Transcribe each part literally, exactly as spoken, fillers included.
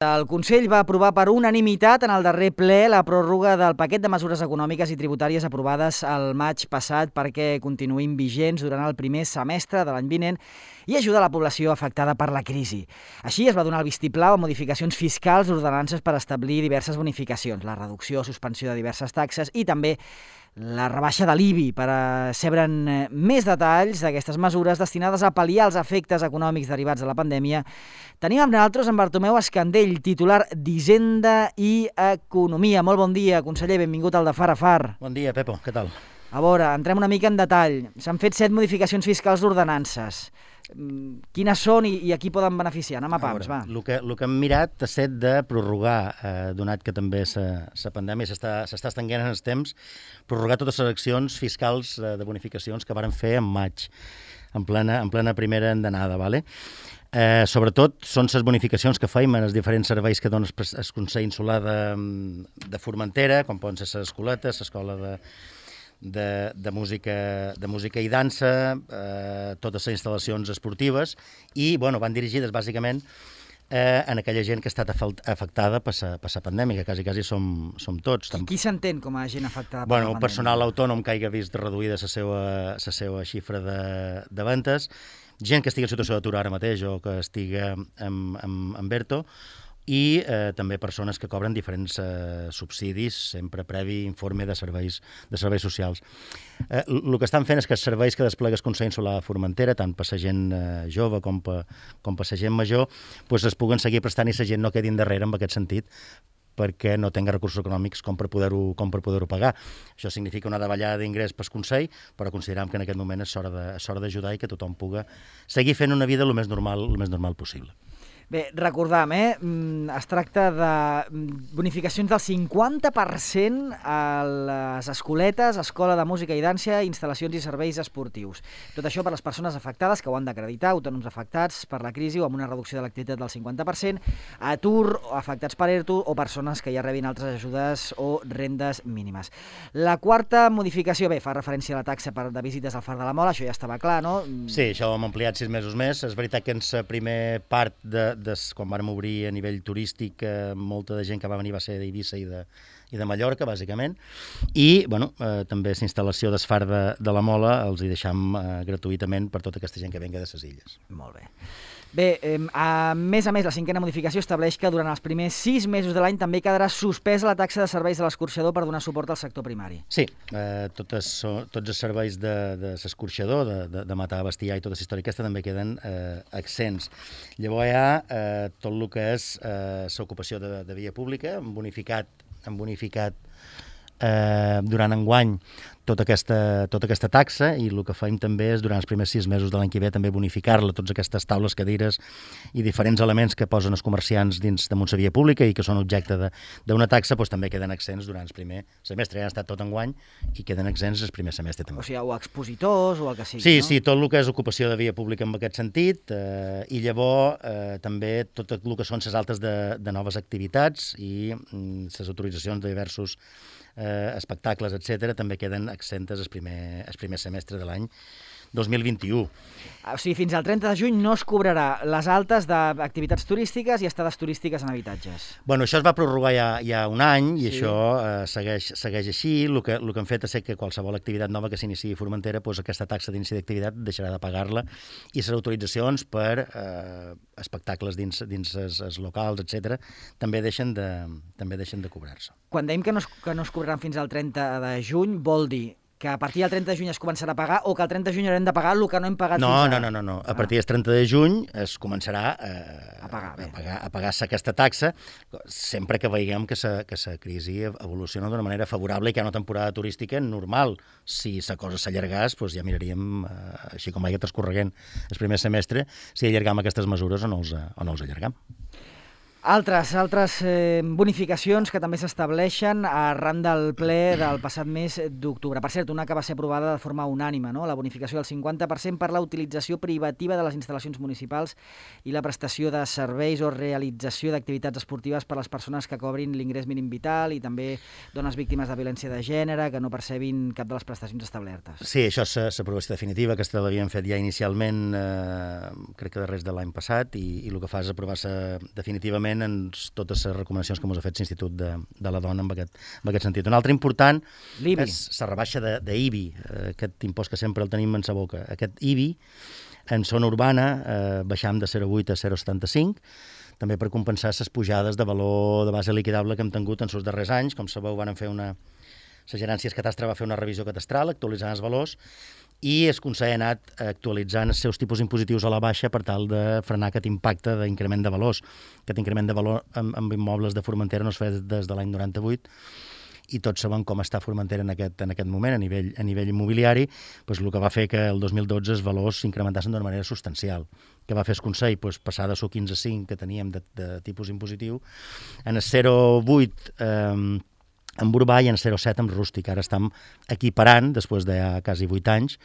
El Consell va aprovar per unanimitat en el darrer ple la pròrroga del paquet de mesures econòmiques i tributàries aprovades el maig passat perquè continuïn vigents durant el primer semestre de l'any vinent i ajudar la població afectada per la crisi. Així es va donar el vistiplau a modificacions fiscals d'ordenances per establir diverses bonificacions, la reducció o suspensió de diverses taxes i també la rebaixa de l'I B I. Per sabre'n més detalls d'aquestes mesures destinades a pal·liar els efectes econòmics derivats de la pandèmia, tenim amb nosaltres en Bartomeu Escandell, titular d'Hisenda i Economia. Molt bon dia, conseller, benvingut al de Far a Far. Bon dia, Pepo, què tal? A veure, entrem una mica en detall. S'han fet set modificacions fiscals d'ordenances. Quines són i, i a qui poden beneficiar? Anem a pams, va. El que, el que hem mirat ha estat de prorrogar, eh, donat que també la pandèmia s'està estenguent en els temps, prorrogar totes les accions fiscals eh, de bonificacions que varen fer en maig, en plena, en plena primera endenada, ¿vale? Eh, sobretot són les bonificacions que feim en els diferents serveis que dona el Consell Insular de, de Formentera, com poden ser les escoletes, l'escola de, de, de, música, de música i dansa, eh, totes les instal·lacions esportives, i bueno, van dirigides bàsicament eh, en aquella gent que ha estat afectada per la pandèmia, que quasi, quasi som, som tots. Qui, qui s'entén com a gent afectada per bueno, la pandèmia? El personal autònom que hagi vist reduïda la seva, la seva xifra de, de ventes, gent que estigui en situació d'atur ara mateix o que estigui en, en, en ERTO, i eh, també persones que cobren diferents eh, subsidis, sempre previ informe de serveis, de serveis socials. Eh, el que estan fent és que els serveis que desplega el Consell Insular de Formentera, tant per la gent eh, jove com per, com per la gent major, pues es puguen seguir prestant i la gent no quedi endarrere en aquest sentit, perquè no tenga recursos econòmics com per poder-ho com per poder-ho pagar. Això significa una davallada d'ingrés pel Consell, però considerem que en aquest moment és hora d'ajudar i que tothom pugui seguir fent una vida el més normal, el més normal possible. Bé, recordam, eh? es tracta de bonificacions del cinquanta per cent a les escoletes, escola de música i dansa, instal·lacions i serveis esportius. Tot això per les persones afectades que ho han d'acreditar, autònoms afectats per la crisi o amb una reducció de l'activitat del cinquanta per cent, atur, afectats per ERTO o persones que ja rebin altres ajudes o rendes mínimes. La quarta modificació, bé, fa referència a la taxa per de visites al Far de la Mola, això ja estava clar, no? Sí, això ho hem ampliat sis mesos més. És veritat que en la primera part de Des, quan vam obrir a nivell turístic, eh, molta de gent que va venir va ser d'Eivissa i de, i de Mallorca, bàsicament, i bueno, eh, també la instal·lació del Far de, de la Mola els hi deixam eh, gratuïtament per tota aquesta gent que venga de les illes. Molt bé. Bé, eh, a més a més, la cinquena modificació estableix que durant els primers sis mesos de l'any també quedarà suspesa la taxa de serveis de l'escorxador per donar suport al sector primari. Sí, eh, totes, tots els serveis de, de l'escorxador, de, de, de matar bestiar i tota la història aquesta també queden eh, exents. Llavors hi ha eh, tot el que és eh, l'ocupació de, de via pública, hem bonificat, hem bonificat eh, durant enguany tota aquesta, tota aquesta taxa, i el que feim també és durant els primers sis mesos de l'any que ve també bonificar-la, totes aquestes taules, cadires i diferents elements que posen els comerciants dins de la via pública i que són objecte d'una taxa, doncs també queden exents durant el primer semestre. Ja han estat tot enguany i queden exents el primer semestre també. O sigui, o expositors o el que sigui, sí, no? Sí, tot el que és ocupació de via pública en aquest sentit, eh, i llavors eh, també tot el que són les altes de, de noves activitats i mm, les autoritzacions de diversos eh, espectacles, etcètera, també queden exentes el primer, el primer semestre de l'any dos mil vint-i-u. O sigui, fins al trenta de juny no es cobrarà les altes d'activitats turístiques i estades turístiques en habitatges. Bueno, això es va prorrogar ja, ja un any i sí. Això eh, segueix, segueix així. El que, el que hem fet és que qualsevol activitat nova que s'iniciï a Formentera, doncs aquesta taxa d'inici d'activitat deixarà de pagar-la i les autoritzacions per eh, espectacles dins, dins els, els locals, etcètera, també deixen de, també deixen de cobrar-se. Quan dèiem que no, es, que no es cobraran fins al trenta de juny, vol dir que a partir del trenta de juny es començarà a pagar o que el trenta de juny haurem de pagar el que no hem pagat no, fins ara? No, no, no, no. A partir del trenta de juny es començarà eh, a pagar-se a pagar, a pagar aquesta taxa, sempre que veiem que la que crisi evoluciona d'una manera favorable i que hi ha una temporada turística normal. Si la cosa s'allargàs, doncs ja miraríem, eh, així com vagi transcorreguent el primer semestre, si allargam aquestes mesures o no els, o no els allargam. Altres, altres eh, bonificacions que també s'estableixen arran del ple del passat mes d'octubre. Per cert, una que va ser aprovada de forma unànime, no? La bonificació del cinquanta per cent per la utilització privativa de les instal·lacions municipals i la prestació de serveis o realització d'activitats esportives per a les persones que cobrin l'ingrés mínim vital i també dones víctimes de violència de gènere que no percebin cap de les prestacions establertes. Sí, això és l'aprovació definitiva. Aquesta l'havíem fet ja inicialment, eh, crec que darrers de l'any passat, i, i el que fa és aprovar-se definitivament totalment en totes les recomanacions que ens ha fet l'Institut de, de la Dona en aquest, en aquest sentit. Un altre important és la rebaixa d'I B I, aquest impost que sempre el tenim en sa boca. Aquest I B I, en zona urbana, eh, baixam de zero coma vuit a zero coma setanta-cinc, també per compensar les pujades de valor de base liquidable que hem tingut en els darrers anys. Com sabeu, van fer una... La Gerència Catastre va fer una revisió catastral, actualitzant els valors, i el Consell ha anat actualitzant els seus tipus impositius a la baixa per tal de frenar aquest impacte d'increment de valors. Aquest increment de valor amb, amb immobles de Formentera no es fa des de l'any noranta-vuit, i tots sabem com està Formentera en aquest, en aquest moment a nivell, a nivell immobiliari, doncs el que va fer que el dos mil dotze els valors s'incrementassin d'una manera substancial. Què va fer el Consell? Doncs passar de su quinze coma cinc que teníem de, de tipus impositiu en el zero coma vuit eh, amb urbà i en zero coma set amb rústic. Ara estem equiparant, després de ja quasi vuit anys,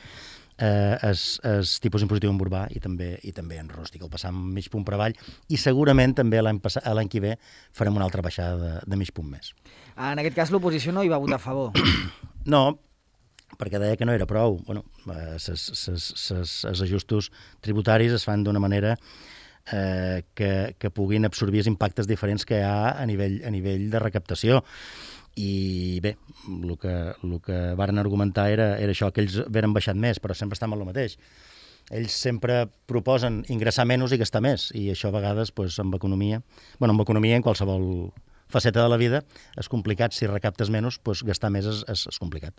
eh, el, el tipus impositiu en urbà i també, i també en rústic. El passam mig punt per avall i segurament també l'any l'any que ve farem una altra baixada de, de mig punt més. En aquest cas l'oposició no hi va votar a favor. No, perquè deia que no era prou. Bueno, els ajustos tributaris es fan d'una manera eh, que, que puguin absorbir els impactes diferents que hi ha a nivell, a nivell de recaptació. I bé, el que, el que varen argumentar era, era això, que ells veren baixat més, però sempre estan amb el mateix. Ells sempre proposen ingressar menys i gastar més, i això a vegades, doncs, amb economia, bueno, amb economia en qualsevol faceta de la vida, és complicat. Si recaptes menys, doncs, gastar més és, és, és complicat.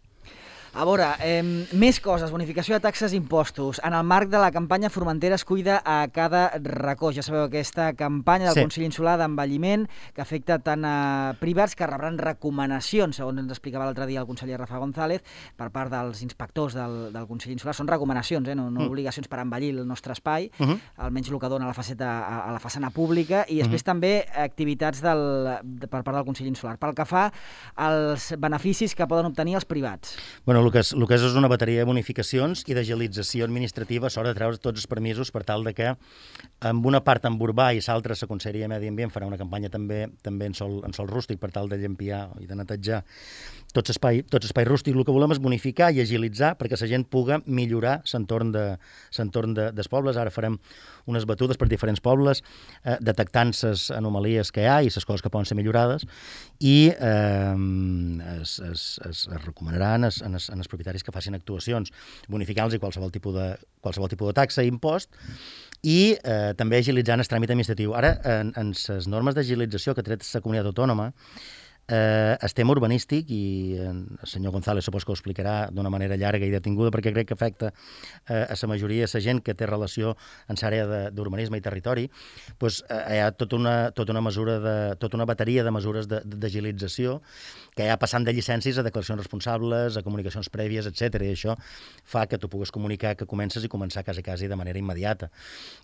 A veure, eh, més coses, bonificació de taxes i impostos. En el marc de la campanya Formentera es cuida a cada racó. Ja sabeu, aquesta campanya del sí. Consell Insular d'envelliment que afecta tant a privats que rebran recomanacions, segons ens explicava l'altre dia el conseller Rafa González, per part dels inspectors del, del Consell Insular. Són recomanacions, eh? no, no mm. obligacions per envellir el nostre espai, uh -huh. almenys el que dona a la, faceta, a, a la façana pública, i després uh -huh. també activitats del, de, per part del Consell Insular. Pel que fa als beneficis que poden obtenir els privats. Bueno, el que, és, el que és és una bateria de bonificacions i d'agilització administrativa a l'hora de treure tots els permisos per tal de que amb una part en urbà i l'altra la Conselleria de Medi Ambient farà una campanya també també en sol, en sol rústic per tal de llampiar i de netejar tot espai, tot espai rústic. El que volem és bonificar i agilitzar perquè la gent pugui millorar l'entorn de, l'entorn de, dels pobles. Ara farem unes batudes per diferents pobles eh, detectant les anomalies que hi ha i les coses que poden ser millorades, i eh, es, es, es, es recomanaran es, en es, en els propietaris que facin actuacions bonificant-los i qualsevol tipus de, qualsevol tipus de taxa i impost, i eh, també agilitzant el tràmit administratiu. Ara, en, en les normes d'agilització que ha tret la comunitat autònoma, eh, el tema urbanístic, i el senyor González supos que ho explicarà d'una manera llarga i detinguda, perquè crec que afecta eh, a la majoria de la gent que té relació en l'àrea d'urbanisme i territori, doncs, eh, hi ha tota una, tota una mesura de, tota una bateria de mesures d'agilització que hi ha passant de llicències a declaracions responsables, a comunicacions prèvies, etcètera. I això fa que tu puguis comunicar que comences i començar quasi, quasi de manera immediata.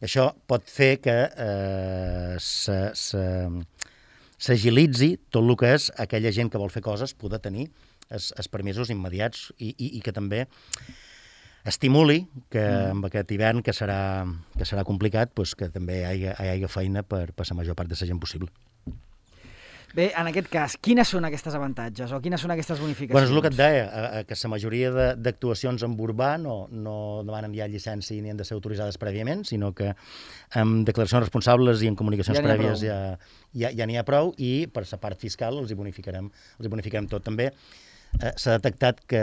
Això pot fer que eh, se, se, s'agilitzi tot el que és aquella gent que vol fer coses poder tenir els, els permisos immediats, i, i, i que també estimuli que amb aquest hivern, que serà, que serà complicat, doncs que també hi hagi, hi hagi feina per, per la major part de la gent possible. Bé, en aquest cas, quines són aquestes avantatges o quines són aquestes bonificacions? Bueno, és el que et deia, que la majoria d'actuacions en urbà no, no demanen ja llicència ni han de ser autoritzades prèviament, sinó que amb declaracions responsables i en comunicacions ja prèvies ja, ja, ja n'hi ha prou, i per la part fiscal els hi bonificarem, els hi bonificarem tot. També eh, s'ha detectat que,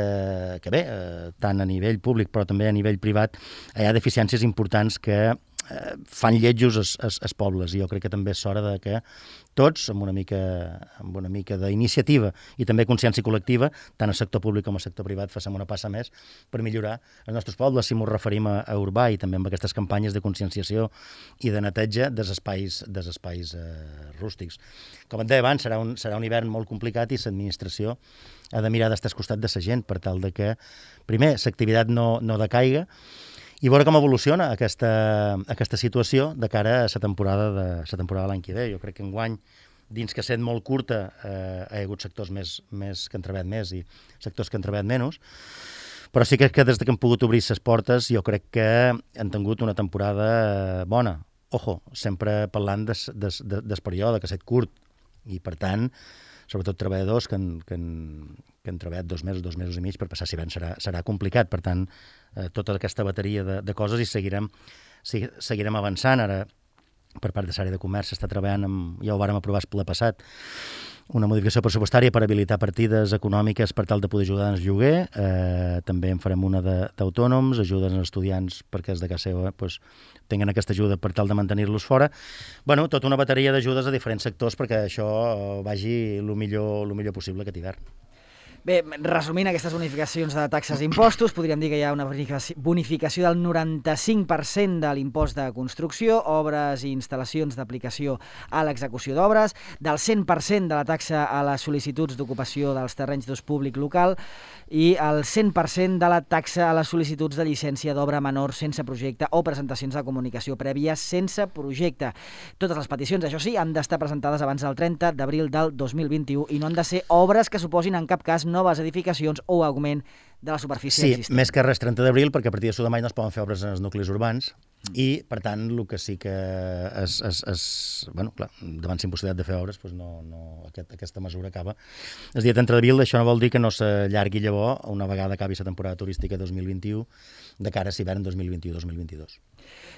que bé, eh, tant a nivell públic però també a nivell privat, hi ha deficiències importants que eh, fan lletjos els, els, els pobles, i jo crec que també és hora de que tots, amb una mica, amb una mica d'iniciativa i també consciència col·lectiva, tant al sector públic com al sector privat, facem una passa més per millorar els nostres pobles, si ens referim a, a urbà, i també amb aquestes campanyes de conscienciació i de neteja dels espais, dels espais eh, rústics. Com et deia abans, serà un, serà un hivern molt complicat, i l'administració ha de mirar d'estar al costat de la gent per tal de que, primer, l'activitat no, no decaiga, i veure com evoluciona aquesta, aquesta situació de cara a la temporada de la temporada de l'any que ve. Jo crec que enguany, dins que sent molt curta, eh, hi ha hagut sectors més, més que han treballat més i sectors que han treballat menys, però sí que, que des que han pogut obrir les portes, jo crec que han tingut una temporada bona. Ojo, sempre parlant des, des, des, des període, que ha estat curt, i per tant, sobretot treballadors que han, que han, que han treballat dos mesos, dos mesos i mig, per passar l'hivern serà, serà complicat. Per tant, eh, tota aquesta bateria de, de coses, i seguirem, seguirem avançant. Ara, per part de l'àrea de comerç s'està treballant, amb, ja ho vàrem aprovar el ple passat, una modificació pressupostària per habilitar partides econòmiques per tal de poder ajudar en el lloguer. Eh, també en farem una d'autònoms, ajudes als estudiants perquè és de casa seva pues, tinguin aquesta ajuda per tal de mantenir-los fora. Bueno, tota una bateria d'ajudes a diferents sectors perquè això vagi el millor, el millor possible aquest hivern. Bé, resumint aquestes bonificacions de taxes i impostos, podríem dir que hi ha una bonificació del noranta-cinc per cent de l'impost de construcció, obres i instal·lacions d'aplicació a l'execució d'obres, del cent per cent de la taxa a les sol·licituds d'ocupació dels terrenys d'ús públic local i el cent per cent de la taxa a les sol·licituds de llicència d'obra menor sense projecte o presentacions de comunicació prèvia sense projecte. Totes les peticions, això sí, han d'estar presentades abans del trenta d'abril del dos mil vint-i-u i no han de ser obres que suposin en cap cas noves edificacions o augment de la superfície sí, existent. Sí, més que res trenta d'abril, perquè a partir de això de maig no es poden fer obres en els nuclis urbans mm. i, per tant, el que sí que és, és, és bueno, clar, davant la impossibilitat de fer obres, doncs no, no, aquest, aquesta mesura acaba. El dia trenta d'abril, això no vol dir que no s'allargui llavors una vegada acabi la temporada turística dos mil vint-i-u de cara a l'hivern dos mil vint-i-u dos mil vint-i-dos.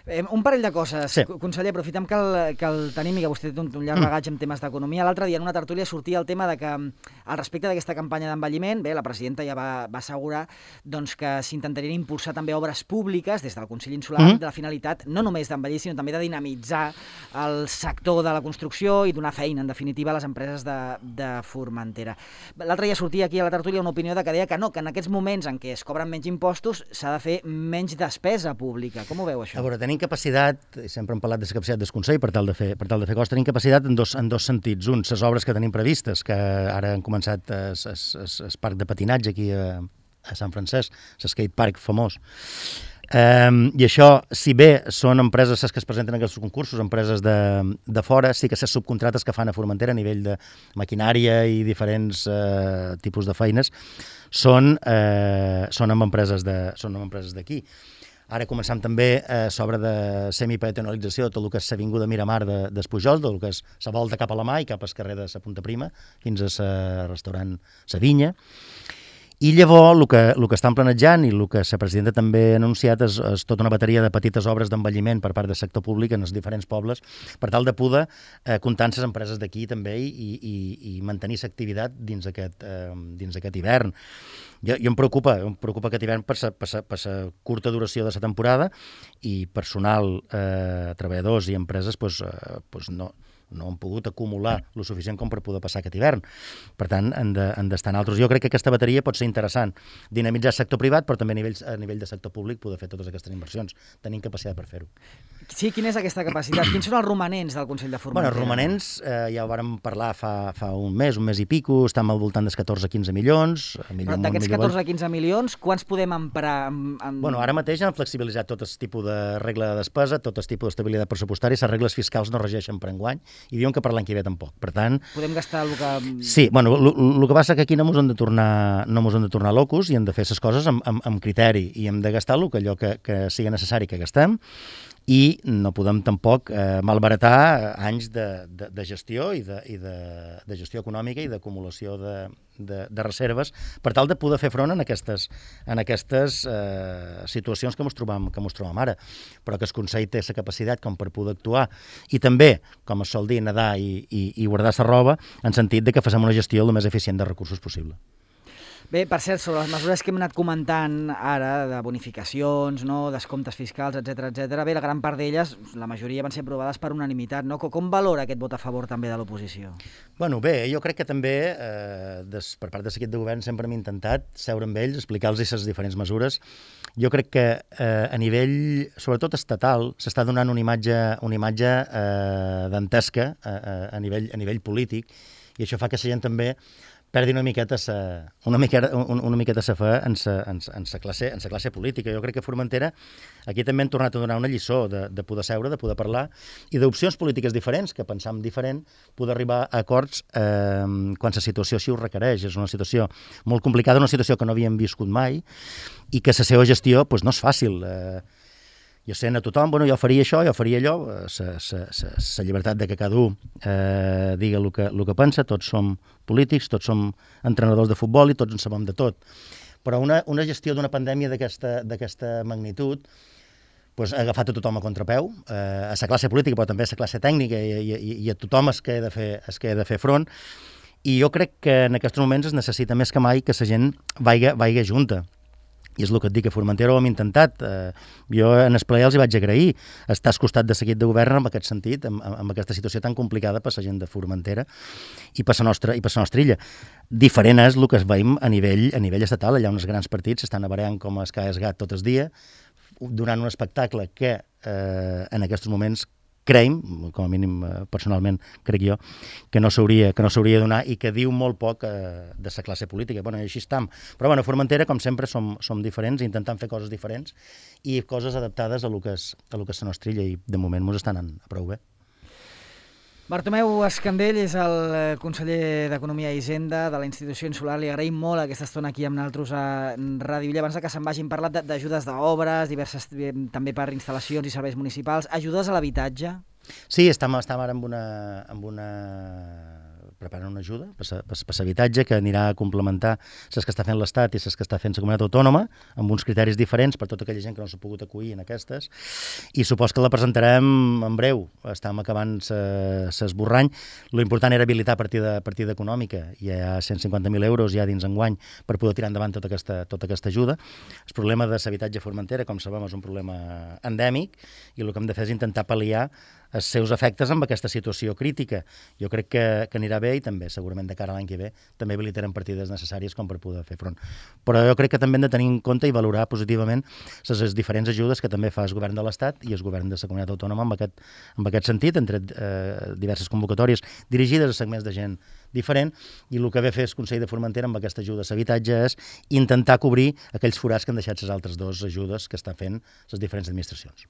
Eh, un parell de coses, sí. Conseller, aprofitem que el, que el tenim i que vostè té un, un llarg bagatge en temes d'economia. L'altre dia en una tertúlia sortia el tema de que al respecte d'aquesta campanya d'envelliment, bé, la presidenta ja va, va assegurar doncs, que s'intentarien impulsar també obres públiques des del Consell Insular mm-hmm. de la finalitat no només d'envellir, sinó també de dinamitzar el sector de la construcció i donar feina, en definitiva, a les empreses de, de Formentera. L'altre dia sortia aquí a la tertúlia una opinió de que deia que no, que en aquests moments en què es cobren menys impostos s'ha de fer menys despesa pública. Com ho veu, això? A veure, tenim capacitat, sempre hem parlat de la capacitat del Consell per tal de fer, per tal de fer coses, tenim capacitat en dos, en dos sentits. Un, les obres que tenim previstes, que ara han començat el parc de patinatge aquí a, a Sant Francesc, l'skate park famós. Um, I això, si bé són empreses les que es presenten en aquests concursos, empreses de, de fora, sí que les subcontrates que fan a Formentera a nivell de maquinària i diferents uh, tipus de feines són, uh, són amb empreses de, són amb empreses d'aquí. Ara començam també eh, sobre de semipeatonalització de tot el que és l'avinguda Miramar de, d'Espujol, del que és la volta cap a la mà i cap al carrer de la Punta Prima, fins a la restaurant La Vinya. I llavors el que, el que estan planejant i el que la presidenta també ha anunciat és, és tota una bateria de petites obres d'envelliment per part del sector públic en els diferents pobles per tal de poder eh, comptar amb les empreses d'aquí també i, i, i mantenir l'activitat dins aquest, eh, dins aquest hivern. Jo, jo em preocupa, em preocupa aquest hivern per la curta duració de la temporada i personal, eh, treballadors i empreses pues, eh, pues no, no han pogut acumular el suficient com per poder passar aquest hivern. Per tant, han d'estar en altres. Jo crec que aquesta bateria pot ser interessant. Dinamitzar el sector privat, però també a nivell, a nivell de sector públic poder fer totes aquestes inversions. Tenim capacitat per fer-ho. Sí, quina és aquesta capacitat? Quins són els romanents del Consell de Formentera? Bueno, els romanents, eh, ja ho vàrem parlar fa, fa un mes, un mes i pico, estem al voltant dels catorze a quinze milions. Però d'aquests catorze a quinze milions, quants podem emprar? Amb, amb... Bueno, ara mateix han flexibilitzat tot el tipus de regla de despesa, tot el tipus d'estabilitat pressupostària, les regles fiscals no regeixen per enguany i diuen que per l'any que ve tampoc. Per tant... Podem gastar el que... Sí, bueno, el que passa que aquí no mos hem de tornar, no mos hem de tornar locos i hem de fer les coses amb, amb, amb criteri i hem de gastar el que allò que, que sigui necessari que gastem i no podem tampoc eh, malbaratar anys de, de, de gestió i, de, i de, de gestió econòmica i d'acumulació de, de, de reserves per tal de poder fer front en aquestes, en aquestes eh, situacions que ens trobam, que ens trobam ara. Però que el Consell té la capacitat com per poder actuar i també, com es sol dir, nedar i, i, i guardar la roba en sentit de que facem una gestió el més eficient de recursos possible. Bé, per cert, sobre les mesures que hem anat comentant ara, de bonificacions, no, descomptes fiscals, etcètera, etcètera, bé, la gran part d'elles, la majoria van ser aprovades per unanimitat, no? Com valora aquest vot a favor també de l'oposició? Bueno, bé, jo crec que també, eh, des, per part de l'equip de govern, sempre hem intentat seure amb ells, explicar-los les diferents mesures. Jo crec que eh, a nivell, sobretot estatal, s'està donant una imatge, una imatge eh, dantesca a, a, a, nivell, a nivell polític i això fa que la gent també perdi una miqueta sa, una miqueta, una, una miqueta sa fe en sa, en, en, sa classe, en sa classe política. Jo crec que Formentera aquí també han tornat a donar una lliçó de, de poder seure, de poder parlar i d'opcions polítiques diferents, que pensam diferent, poder arribar a acords eh, quan la situació així ho requereix. És una situació molt complicada, una situació que no havíem viscut mai i que la seva gestió pues, no és fàcil. Eh, jo sent a tothom, bueno, jo faria això, jo faria allò, la llibertat de que cada un eh, diga el que, el que pensa, tots som polítics, tots som entrenadors de futbol i tots en sabem de tot. Però una, una gestió d'una pandèmia d'aquesta magnitud pues, ha agafat a tothom a contrapeu, eh, a la classe política, però també a la classe tècnica, i, i, i a tothom es que ha de fer, es que ha de fer front. I jo crec que en aquests moments es necessita més que mai que la gent vaiga, vaiga junta. I és el que et dic, a Formentera ho hem intentat. Eh, jo en el ple els hi vaig agrair estar al costat de seguit de govern en aquest sentit, amb, amb aquesta situació tan complicada per la gent de Formentera i per la nostra, i per la nostra illa. Diferent és el que es veiem a nivell, a nivell estatal. Allà uns grans partits s'estan abareant com es caes gat tot el dia, donant un espectacle que eh, en aquests moments creiem, com a mínim personalment crec jo, que no s'hauria que no s'hauria de donar i que diu molt poc eh, de la classe política. Bueno, i així estam. Però bueno, a Formentera, com sempre, som, som diferents, intentant fer coses diferents i coses adaptades a lo que és, a lo que és la nostra illa, i de moment ens estan anant prou bé. Bartomeu Escandell és el conseller d'Economia i Hisenda de la institució insular. Li agraïm molt aquesta estona aquí amb nosaltres a Ràdio Illa. Abans que se'n vagin parlat d'ajudes d'obres, diverses també per instal·lacions i serveis municipals. Ajudes a l'habitatge? Sí, estem, estem ara amb una, amb una... preparant una ajuda per l'habitatge que anirà a complementar les que està fent l'Estat i les que està fent la comunitat autònoma, amb uns criteris diferents per tota aquella gent que no s'ha pogut acollir en aquestes, i supos que la presentarem en breu. Estem acabant l'esborrany. Lo important era habilitar partida, partida econòmica. Hi ha cent cinquanta mil euros ja dins enguany per poder tirar endavant tota aquesta, tota aquesta ajuda. El problema de l'habitatge a Formentera, com sabem, és un problema endèmic, i el que hem de fer és intentar pal·liar els seus efectes amb aquesta situació crítica. Jo crec que, que anirà bé, i també segurament de cara a l'any que ve també habilitarem partides necessàries com per poder fer front. Però jo crec que també hem de tenir en compte i valorar positivament les diferents ajudes que també fa el govern de l'Estat i el govern de la comunitat autònoma en aquest, en aquest sentit, entre eh, diverses convocatòries dirigides a segments de gent diferent, i el que ve fer el Consell de Formentera amb aquesta ajuda a l'habitatge és intentar cobrir aquells forats que han deixat les altres dues ajudes que estan fent les diferents administracions.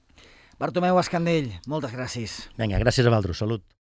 Bartomeu Escandell, moltes gràcies. Vinga, gràcies a vosaltres. Salut.